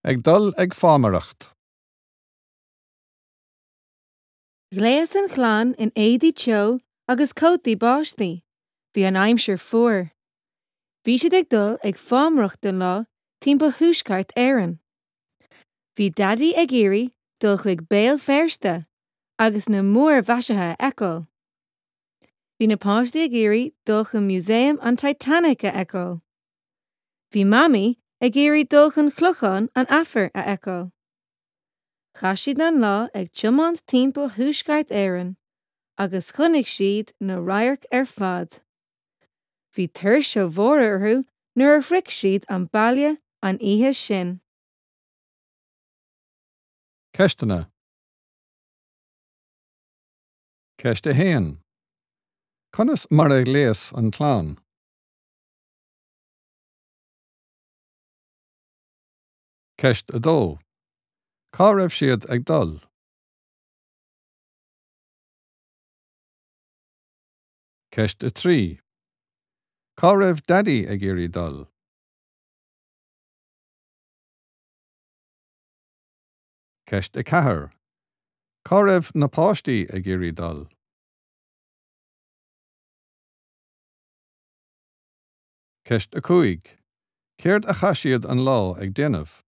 Ag dul ag fámaireacht. Ghléas an chlann in éadaí teo agus cótaí báistí. Bhí an aimsir fuar. Bhí siad ag dul ag fámaireacht don lá timpeall Thuaisceart Éireann. Bhí Daidí ag iarraidh dul chuig Béal Feirste agus na múrmhaisithe a fheiceáil. Bhí na páistí ag iarraidh dul chun Museum an Titanic a fheiceáil. Bhí Mamaí ag iarraidh dul chun Clochán an Aifir a fheiceáil. Chaith siad an lá ag tiomáint timpeall Thuaisceart Éireann agus chonaic siad na radhairc ar fad. Bhí tuirse mhór orthu nuair a shroich siad an baile an oíche sin. Ceisteanna. Ceist 1. Conas mar a ghléas an chlann? Ceist 2. Cá raibh siad ag dul? Ceist 3. Cá raibh Daidí ag iarraidh dul? Ceist 4. Cá raibh na páistí ag iarraidh dul? Ceist 5. Céard a chaith siad an lá ag déanamh?